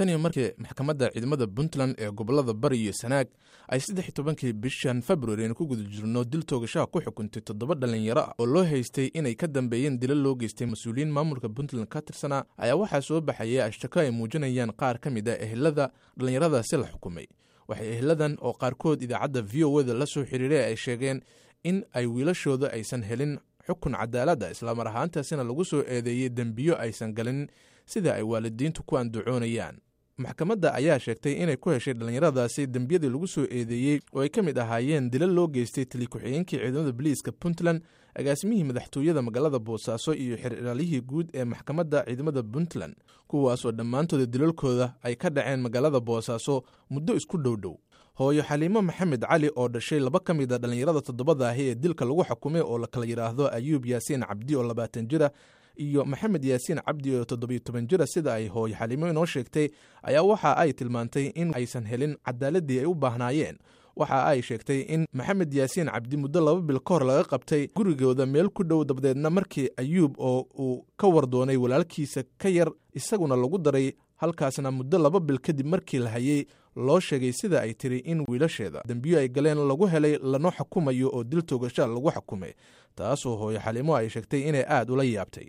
Tan iyo markii maxkamadda ciidamada Puntland ee gobolada Bari iyo Sanaag ay 13-kii bishan Februari aynu ku guda jirno dil toogashaha ku xukuntay 7 dhalinyaro ah oo loo haystay inay ka dambeeyeen dilo loo geystay mas-uuliyiin maamulka Puntland ka tirsanaa, ayaa waxaa soo baxayay ashtako ay muujinayaan qaar ka mid a ehelada dhallinyaradaasi la xukumay. Waxay eheladan oo qaarkood idaacadda VOA da la soo xiriiray ay sheegeen in ay wiilashooda aysan helin xukun cadaaladda, islamar ahaantaasina lagu soo eedeeyey dembiyo aysan galin, sida ay waalidiintu ku andacoonayaan. Maxkamadda ayaa sheegtay inay ku heshay dhallinyaradaasi dembiyadii lagu soo eedeeyey oo ay ka mid ahaayeen dilo loo geystay tali ku-xigeenkii ciidamada boliiska Puntland, agaasimihii madaxtooyada magaalada Boosaaso iyo xeer-ilaalihii guud ee maxkamadda ciidamada Puntland, kuwaasoo dhammaantooda dilalkooda ay ka dhaceen magaalada Boosaaso muddo isku dhow dhow. Hooyo Xaliimo Maxamed Cali oo dhashay laba ka mid a dhallinyarada toddobada ahi ee dilka lagu xukumay, oo la kala yidhaahdo Ayuub Yaasiin Cabdi oo 20 jira iyo Maxamed Yaasiin Cabdi oo 17 jira, sida ay hooyo Xaliimo inoo sheegtay, ayaa waxa ay tilmaantay in aysan helin cadaaladii ay u baahnaayeen. Waxa ay sheegtay in Maxamed Yaasiin Cabdi muddo 2 bil ka hor laga qabtay gurigooda meel ku dhow, dabadeedna markii Ayuub oo uu ka wardoonay walaalkiisa ka yar isaguna lagu daray, halkaasna muddo 2 bil kadib markii la hayay loo sheegay, sida ay tiri, in wiilasheeda dembiyo ay galeen lagu helay lana xukumayo oo dil toogasha lagu xukumay, taasoo hooyo Xaliimo ay sheegtay inay aada ula yaabtay.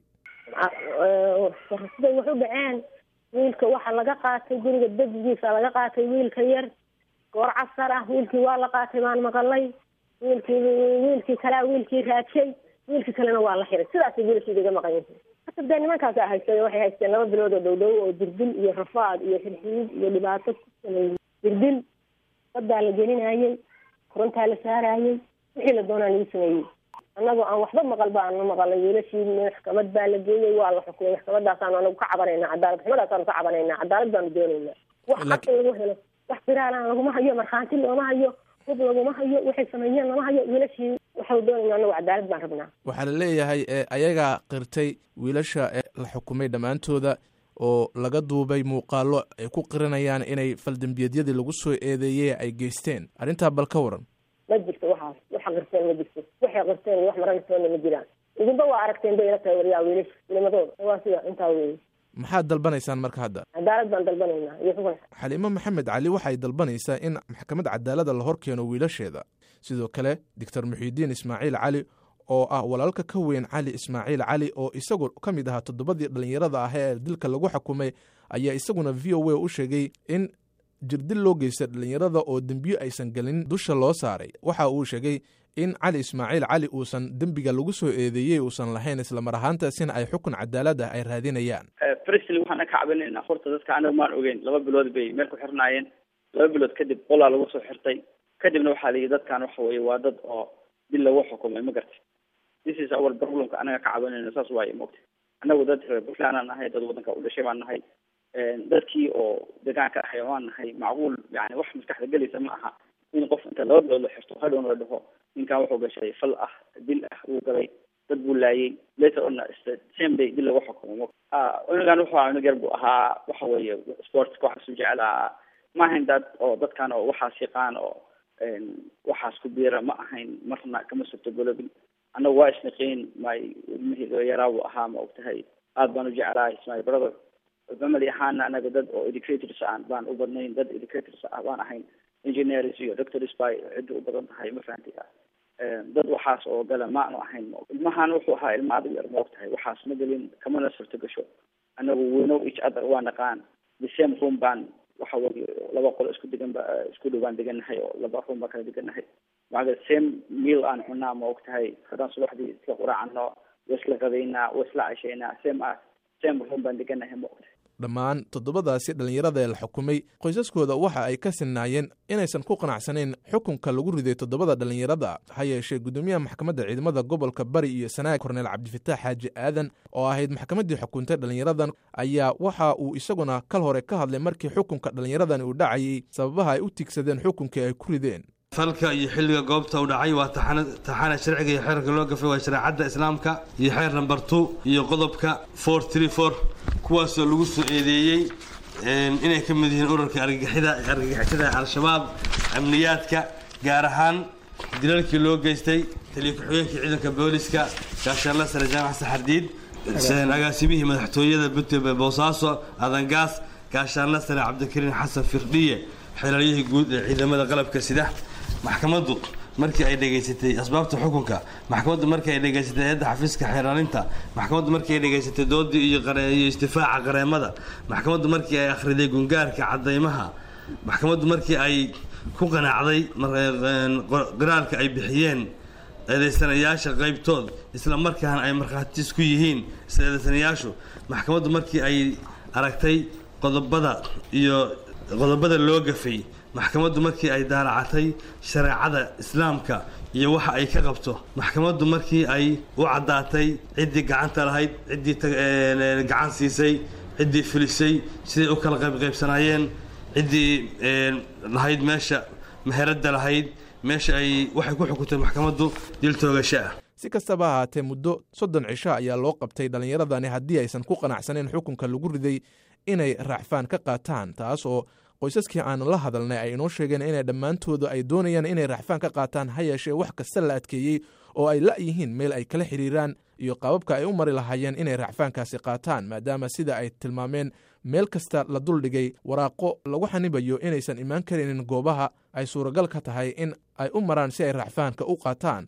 Siday wax u dhaceen, wiilka waxaa laga qaatay guriga dejigiisa, laga qaatay wiilka yar goor casar ah. Wiilkii waa la qaatay baan maqalay. Wiilkii kalea wiilkii raajay, wiilkii kalena waa la xiray. Sidaasay wiilkii iga maqan yihiin hata. Dee nimankaasa haystay, waxay haysteen 2 bilood oo dhow dhow oo dirdil iyo rafaad iyo xirxiid iyo dhibaato ku sameeyey. Dirdil badaa la gelinayey, korontaa la saarayey, wixii la doonaa lagu sameeyey. Annagoo aan waxba maqal ba aanu maqalay wiilashii maxkamad baa la geeyey, waa la xukumay. Maxkamadaasaanu anagu ka cabanayna, cadaalad xumadaasanu ka cabanaynaa, cadaalad baanu doonaynaa, wax xaq lagu helo. Wax firaalaan laguma hayo, markhaanti looma hayo, hub laguma hayo, waxay sameeyeen lama hayo. Wiilashii waxau doonayna anagu cadaalad baan rabnaa. Waxaa la leeyahay ayagaa qirtay wiilasha la xukumay dhammaantooda oo laga duubay muuqaalo ay ku qiranayaan inay faldembiyeedyadii lagu soo eedeeyey ay geysteen. Arrintaa bal ka waran? Ma jirto waxaas. Waxa qirteen ma jirto, waxay qirteen iyo wax marantoona ma jiraan. Idinba waa aragteen bay ila tahay waryaa wiilasha ilimadooda. Waa sida intaa weeye. Maxaad dalbanaysaan marka hadda? Cadaalad baan dalbanaynaa iyo xukun. Xaliimo Maxamed Cali waxay dalbanaysaa in maxkamad cadaalada la hor keeno wiilasheeda. Sidoo kale Doctor Muxiidiin Ismaaciil Cali oo ah walaalka ka weyn Cali Ismaaciil Cali oo isagu ka mid ahaa toddobadii dhallinyarada ah ee dilka lagu xukumay, ayaa isaguna VOA u sheegay in jirdil loo geystay dhallinyarada oo dembiyo aysan gelin dusha loo saaray. Waxa uu sheegay in Cali Ismaaciil Cali uusan dembiga lagu soo eedeeyey uusan lahayn, islamar ahaantaasina ay xukun cadaalad ah ay raadinayaan. Firstly, waxaan ka cabanayna horta dadka anaga maan ogeyn. 2 bilood bay meel ku xirnaayeen. 2 bilood kadib qolaa lagu soo xirtay. Kadibna waxaa la yidhi dadkan waxa weye waa dad oo dil lagu xukumay, ma gartay? This is our problemka anaga ka cabanayno, saas waaye mogta. Anagu dad reer Puntland aan nahay, dad wadanka u dhashay baan nahay, dadkii oo deegaanka ahay waan nahay. Macquul yani wax maskaxda gelaysa ma aha in qof inta 2 bilood la xirto hadhowna la dhaho ninkan wuxuu gashay fal ah, dil ah wuu galay, dad buu laayay, later on same day dil lagu xukumo. Cunugan wuxuu ahaa cunug yar buu ahaa. Waxa weeye sportska waxaas u jeclaa. Ma ahayn dad oo dadkan oo waxaas yaqaan oo waxaas ku biira ma ahayn, marna kama suurtogolobin. Annagu waa isniqiin, my ilmihii yaraa buu ahaa, ma ogtahay? Aad baan u jeclaa, is my brother. Family ahaana anaga dad oo educators aan baan u badnayn, dad educators ah baan ahayn, engineers iyo doctors bay cidda u badan tahay, ma fahanti? Dad waxaas oo gala ma aanu ahayn. Ilmahan wuxuu ahaa ilma adag yar, ma ogtahay? Waxaas ma gelin, kamana suurto gasho. Anagu we know each other, waa naqaan. The same room baan, waxa weye laba qolo isku degan ba isku dhow baan degannahay oo laba room baan kala degannahay. Maca same meal aan cunaa, ma ogtahay? Haddaan subaxdii isla quraacano, waa isla qadaynaa, waa isla cashaynaa, same room baan degannahay, ma ogtahay? Dhammaan toddobadaasi dhallinyarada ee la xukumay qoysaskooda waxa ay ka sinnaayeen inaysan ku qanacsanayn xukunka lagu riday toddobada dhallinyarada. Ha yeeshee guddoomiyaha maxkamadda ciidamada gobolka Bari iyo Sanaag, Korneel Cabdifataax Xaaji Aadan, oo ahayd maxkamaddii xukuntay dhallinyaradan, ayaa waxa uu isaguna kal hore ka hadlay markii xukunka dhallinyaradan uu dhacayay sababaha ay u tigsadeen xukunkii ay ku rideen. Falka iyo xilliga goobta u dhacay waa taxana sharciga iyo xeerka loo gafay waa shareecadda Islaamka iyo xeer number 2 iyo qodobka 434, kuwaasoo lagu soo eedeeyey inay ka mid yihiin ururka argagixisada Al-Shabaab, amniyaadka, gaar ahaan dilalkii loo geystay taliya ku-xigeenkii ciidanka booliska, gaashaanla sare Jaamac Saxardiid, agaasimihii madaxtooyada Puntland Boosaaso Adangaas, Gaashaanla Sare Cabdikariin Xasan Firdhiye, xeelaalyihii guud ee ciidamada qalabka sida. Maxkamaddu markii ay dhegaysatay asbaabta xukunka, maxkamaddu markii ay dhegaysatay hay-adda xafiiska xeeraalinta, maxkamaddu markii ay dhegaysatay doodii iyo istifaaca qareemada, maxkamaddu markii ay akhriday gungaarka caddaymaha, maxkamaddu markii ay ku qanacday qiraalka ay bixiyeen eedaysanayaasha qaybtood, isla markaana ay markhaati isku yihiin isla eedaysanayaashu, maxkamaddu markii ay aragtay qodobada iyo qodobada loo gafay, maxkamaddu markii ay daalacatay shareecada islaamka iyo waxa ay ka qabto, maxkamaddu markii ay u caddaatay ciddii gacanta lahayd, ciddii gacan siisay, ciddii filisay, siday u kala qaybqaybsanaayeen, ciddii lahayd meesha meheradda lahayd meesha ay, waxay ku xukuntay maxkamaddu dil toogasho ah. Si kastaba ahaatee, muddo 30 cisho ayaa loo qabtay dhallinyaradani haddii aysan ku qanacsaneyn xukunka lagu riday inay racfaan ka qaataan, taas oo qoysaskii aanu la hadalnay ay inoo sheegeen inay dhammaantooda ay doonayaan inay racfaan ka qaataan, ha yeeshee wax kasta la adkeeyey oo ay la'yihiin meel ay kala xiriiraan iyo qaababka ay u mari lahaayeen inay racfaankaasi qaataan, maadaama sida ay tilmaameen meel kasta la duldhigay waraaqo lagu xanibayo inaysan imaan karaynin goobaha ay suuragal ka tahay in ay u maraan si ay racfaanka u qaataan.